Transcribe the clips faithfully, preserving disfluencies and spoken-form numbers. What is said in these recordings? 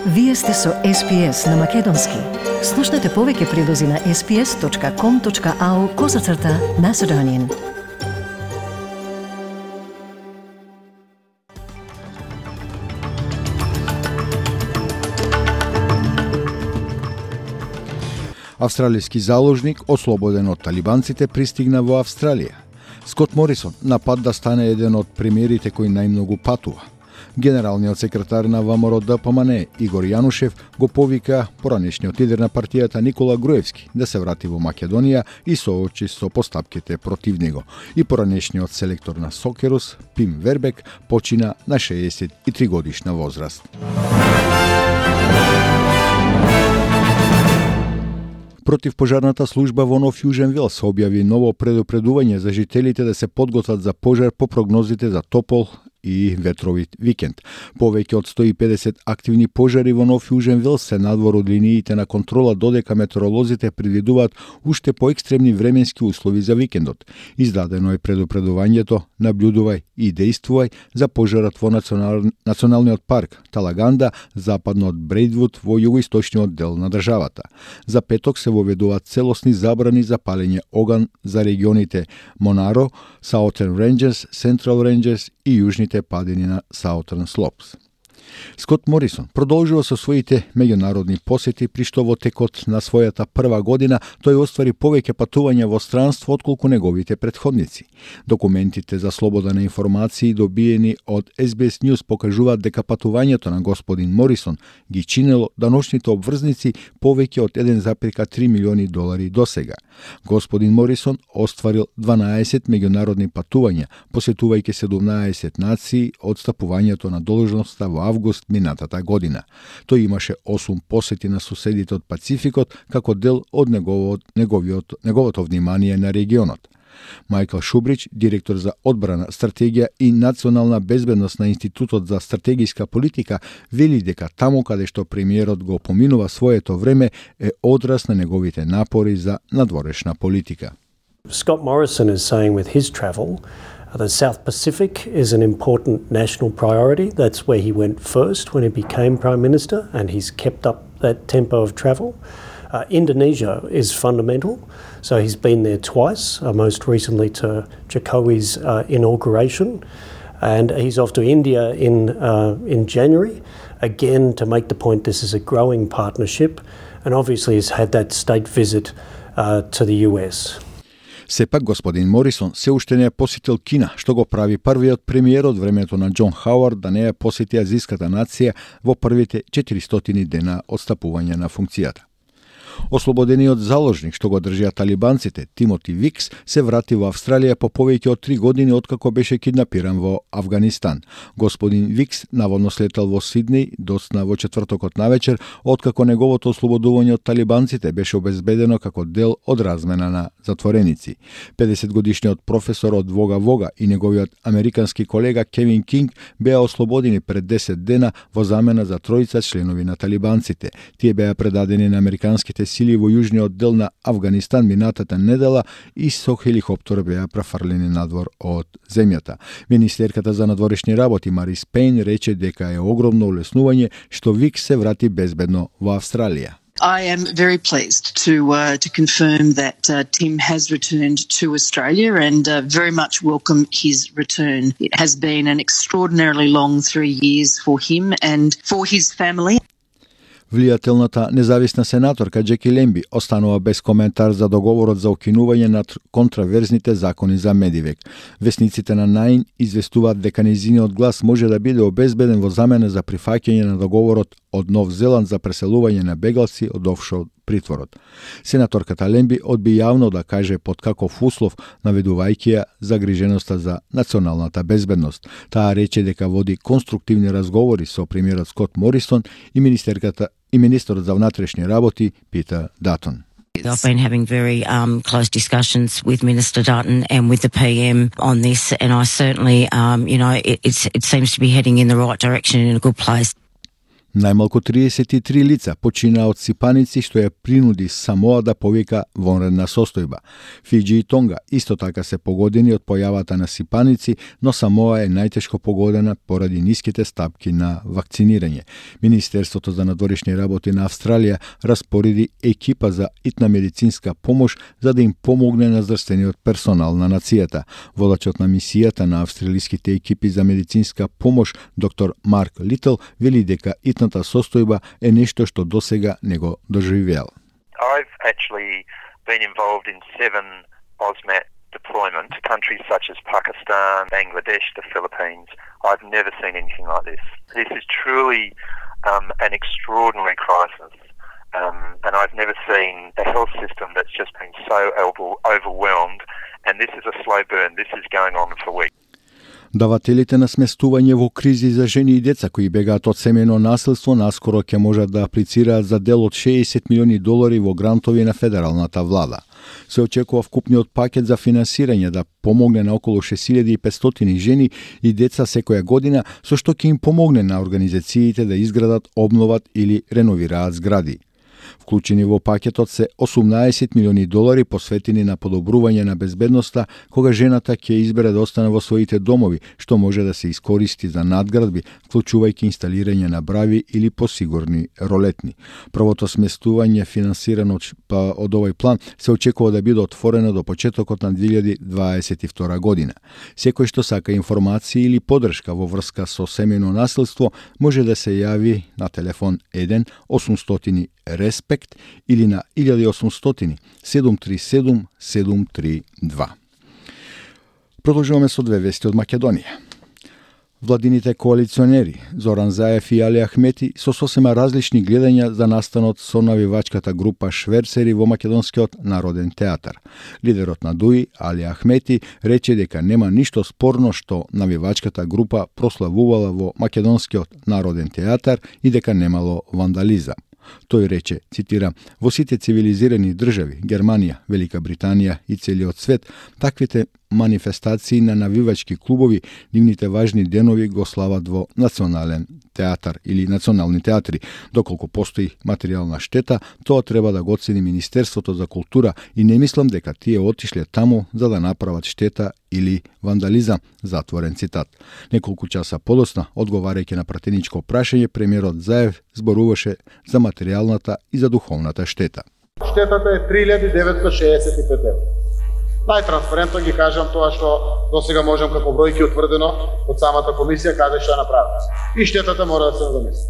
Вие сте со Ес Пи Ес на Македонски. Слушнете повеќе прилози на ес пи ес точка ком точка ау козацрта Macedonian. Австралијски заложник, ослободен од талибанците, пристигна во Австралија. Скот Морисон на пат да стане еден од премиерите кој најмногу патува. Генералниот секретар на Вэ Ем Ар Д П М Н Игор Јанушев го повика поранешниот лидер на партијата Никола Груевски да се врати во Македонија и соочи со постапките против него. И поранешниот селектор на Сокерус, Пим Вербек, почина на шеесет и три годишна возраст. Противпожарната служба во Нов Јужен Велс објави ново предупредување за жителите да се подготват за пожар по прогнозите за топол и ветровит викенд. Повеќе од сто и педесет активни пожари во Нов Јужен Велс се надвор од линиите на контрола, додека метеоролозите предвидуваат уште поекстремни временски услови за викендот. Издадено е предупредувањето "Наблюдувај и дејствувај" за пожарот во национал... националниот парк Талаганда, западно од Брејдвуд во југоисточниот дел на државата. За петок се воведуваат целосни забрани за палење оган за регионите Монаро, Southern Ranges, Central Ranges и јужните падини на Southern Slopes. Скот Морисон продолжува со своите меѓународни посети, при што во текот на својата прва година тој оствари повеќе патувања во странство отколку неговите претходници. Документите за слобода на информации добиени од Ес Би Ес News покажуваат дека патувањето на господин Морисон ги чинело даночните обврзници повеќе од еден зарез три милиони долари досега. Господин Морисон остварил дванаесет меѓународни патувања, посетувајќи седумнаесет нации од стапувањето на должноста во август минатата година. Тој имаше осум посети на соседите од Пацификот како дел од неговото, неговиот, неговото внимание на регионот. Мајкл Шубрич, директор за одбрана, стратегија и национална безбедност на Институтот за стратегиска политика, вели дека таму каде што премиерот го поминува своето време е одраз на неговите напори за надворешна политика. Scott Morrison is saying with his travel the South Pacific is an important national priority. That's where he went first when he became Prime Minister, and he's kept up that tempo of travel. Uh, Indonesia is fundamental, so he's been there twice, uh, most recently to Jokowi's uh, inauguration, and he's off to India in, uh, in January, again to make the point this is a growing partnership, and obviously has had that state visit uh, to the U S. Сепак господин Морисон се уште не е посетил Кина, што го прави првиот премиер од времето на Џон Хауард да не ја посети азиската нација во првите четиристотини дена од стапување на функцијата. Ослободениот заложник што го држеа талибанците, Тимоти Викс, се врати во Австралија по повеќе од три години откако беше киднапиран во Авганистан. Господин Викс наводно слетал во Сиднеј доцна во четвртокот навечер, откако неговото ослободување од талибанците беше обезбедено како дел од размена на затвореници. педесет годишниот професор од Вога Вога и неговиот американски колега Кевин Кинг беа ослободени пред десет дена во замена за тројца членови на талибанците. Тие беа предадени на американските сили во јужниот дел на Авганистан минатата недела и со хеликоптер беа префрлени надвор од земјата. Министерката за надворешни работи Марис Пейн рече дека е огромно улеснување што Викс се врати безбедно во Австралија. I am very pleased to uh, to confirm that uh, Tim has returned to Australia and uh, very much welcome his return. It has been an extraordinarily long three years for him and for his family. Влијателната независна сенаторка Джеки Лемби останува без коментар за договорот за укинување на контраверзните закони за Медивек. Весниците на Наин известуваат дека нејзиниот глас може да биде обезбеден во замена за прифаќање на договорот од Нов Зеланд за преселување на бегалци од офшор притворот. Сенаторката Лемби одби јавно да каже под каков услов, наведувајќи ја загриженоста за националната безбедност. Таа рече дека води конструктивни разговори со премиерот Скот Морисон и министерката и министерот за внатрешни работи Питер Датон. I've been having very um, close discussions with Minister Dutton and with the P M on this, and I certainly, um, you know, it, it's, it seems to be heading in the right direction and in a good place. Најмалку триесет и три лица почина од сипаници, што ја принуди Самоа да повика вонредна состојба. Фиџи и Тонга исто така се погодени од појавата на сипаници, но Самоа е најтешко погодена поради ниските стапки на вакцинирање. Министерството за надворешни работи на Австралија распореди екипа за итна медицинска помош за да им помогне на здравствениот персонал на нацијата. Водачот на мисијата на австралиските екипи за медицинска помош, доктор Марк Литл, вели дека итната состојба е нешто што досега не го доживеал. I've actually been involved in seven O S M A T deployment to countries such as Pakistan, Bangladesh, the Philippines. I've never seen anything like this. This is truly um, an extraordinary crisis. Um, and I've never seen a health system that's just been so overwhelmed. And this is a slow burn. This is going on for weeks. Давателите на сместување во кризи за жени и деца кои бегаат од семејно насилство наскоро ќе можат да аплицираат за дел од шеесет милиони долари во грантови на федералната влада. Се очекува вкупниот пакет за финансирање да помогне на околу шест илјади и петстотини жени и деца секоја година, со што ќе им помогне на организациите да изградат, обноват или реновираат згради. Вклучени во пакетот се осумнаесет милиони долари посветени на подобрување на безбедноста кога жената ќе избере да остане во своите домови, што може да се искористи за надградби, вклучувајќи инсталирање на брави или посигурни ролетни. Првото сместување финансирано од овој план се очекува да биде отворено до почетокот на две илјади дваесет и втора година. Секој што сака информации или поддршка во врска со семејно насилство може да се јави на телефон еден осумстотини респект или на еден осумстотини седум три седум седум три два. Продолжуваме со две вести од Македонија. Владините коалиционери Зоран Заев и Али Ахмети со сосема различни гледања за настанот со навивачката група шверцери во Македонскиот народен театар. Лидерот на ДУИ, Али Ахмети, рече дека нема ништо спорно што навивачката група прославувала во Македонскиот народен театар и дека немало вандализам. Тој рече, цитирам, во сите цивилизирани држави, Германија, Велика Британија и целиот свет, таквите манифестации на навивачки клубови, нивните важни денови го слават во национален театар или национални театри. Доколку постои материјална штета, тоа треба да го оцени Министерството за култура и не мислам дека тие отишле таму за да направат штета или вандализам, затворен цитат. Неколку часа подоцна, одговарајќи на пратеничко прашање, премиерот Заев зборуваше за материјалната и за духовната штета. Штетата е три илјади деветстотини шеесет и пет евра. Најтранспарентно ги кажам тоа што досега можам како бројки утврдено од самата комисија каде што ја направи. И штетата мора да се надомести.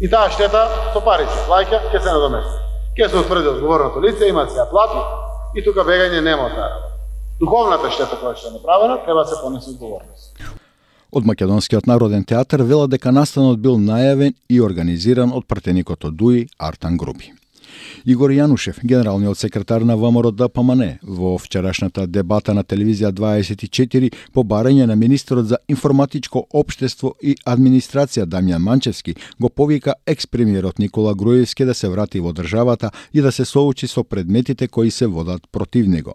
И таа штета со пари се плаќа, ќе се надомести. Ќе се утврди одговорното лице, има се ја плати и тука бегање нема од таа. Духовната штета која што е направена треба да се понесе одговорност. Од Македонскиот народен театар велат дека настанот бил најавен и организиран од пратеникот од ДУИ Артан Групи. Игор Јанушев, генералниот секретар на ВМРО Д П М Н, во вчерашната дебата на телевизија дваесет и четири по барање на министерот за информатичко општество и администрација Дамјан Манчевски, го повика екс-премиерот Никола Груевски да се врати во државата и да се соочи со предметите кои се водат против него.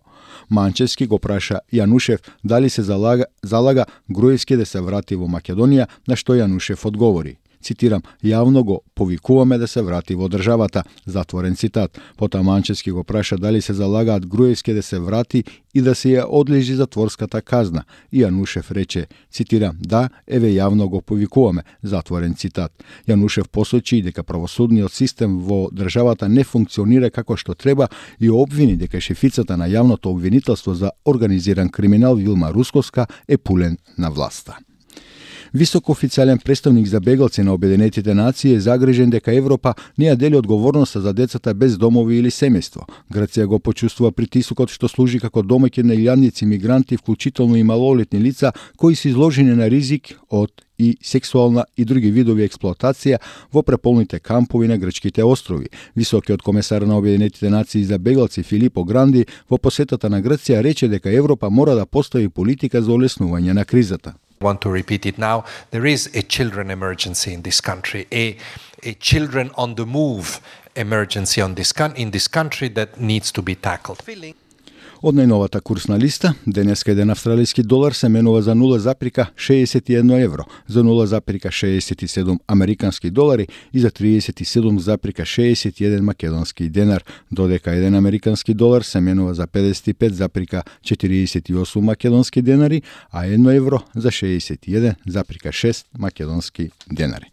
Манчевски го праша Јанушев дали се залага, залага Груевски да се врати во Македонија, на што Јанушев одговори. Цитирам, јавно го повикуваме да се врати во државата, затворен цитат. Потоа Манчевски го праша дали се залагаат Груевски да се врати и да се ја одлежи затворската казна. И Јанушев рече, цитирам, да, еве јавно го повикуваме, затворен цитат. Јанушев посочи дека правосудниот систем во државата не функционира како што треба и обвини дека шефицата на јавното обвинителство за организиран криминал Вилма Русковска е пулен на власта. Висок официјален претставник за бегалци на Обединетите нации е загрижен дека Европа не ја дели одговорноста за децата без домови или семејство. Грција го почувствува притисокот што служи како домаќин на илјадници мигранти, вклучително и малолетни лица, кои се изложени на ризик од и сексуална и други видови експлоатација во преполните кампови на грчките острови. Високиот комесар на Обединетите нации за бегалци Филипо Гранди во посетата на Грција рече дека Европа мора да постави политика за олеснување на кризата. I want to repeat it now. There is a children emergency in this country, a, a children on the move emergency on this in this country that needs to be tackled. Од најновата курсна листа, денеска еден австралиски долар се менува за нула запирка шеесет и едно евро, за нула запирка шеесет и седум американски долари и за триесет и седум запирка шеесет и еден македонски денар, додека еден американски долар се менува за педесет и пет запирка четириесет и осум македонски денари, а едно евро за шеесет и еден запирка шест македонски денари.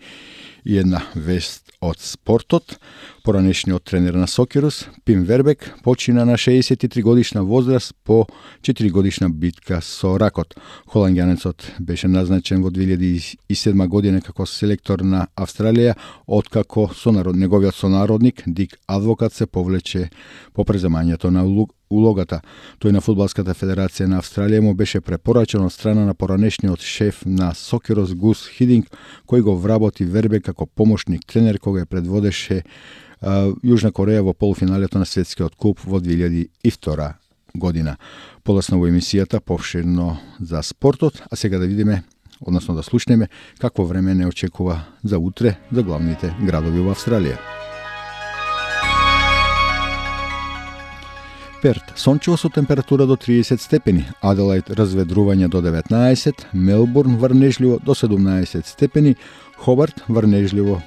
И една вест од спортот. Поранешниот тренер на Сокерус, Пим Вербек, почина на шеесет и три годишна возраст по четири годишна битка со ракот. Холанѓанецот беше назначен во две илјади и седма година како селектор на Австралија, откако сонарод, неговиот сонародник Дик Адвокат се повлече по преземањето на улогата. Тој на Фудбалската федерација на Австралија му беше препорачен од страна на поранешниот шеф на Сокерус Гус Хидинг, кој го вработи Вербек како помошник тренер кога ја предводеше а, Јужна Кореја во полуфиналето на светскиот куп во две илјади и втора година. Полесно во емисијата повширно за спортот, а сега да видиме, односно да слушнеме какво време не очекува за утре за главните градови во Австралија. Перт, сончево со температура до триесет степени, Аделаид разведрување до деветнаесет, Мелбурн врнежливо до седумнаесет степени, Хобарт врнежливо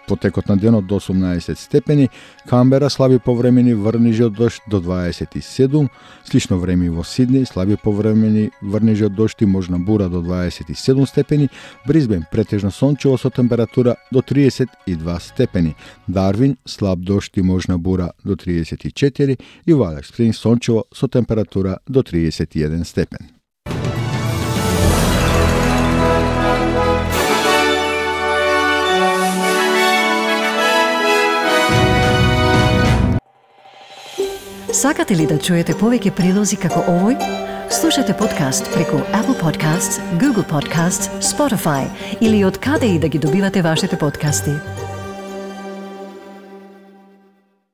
потекот на денот до осумнаесет степени, Камбера слаби повремени врнежи од дожд до дваесет и седум, слично време во Сиднеј, слаби повремени врнежи од дожд и можна бура до дваесет и седум степени, Брисбен претежно сончево со температура до триесет и два степени, Дарвин слаб дожд и можна бура до триесет и четири и во Алекс Спрингс сончево со температура до триесет и еден степен. Сакате ли да чуете повеќе прилози како овој? Слушате подкаст преку Apple Podcasts, Google Podcasts, Spotify или од каде и да ги добивате вашите подкасти.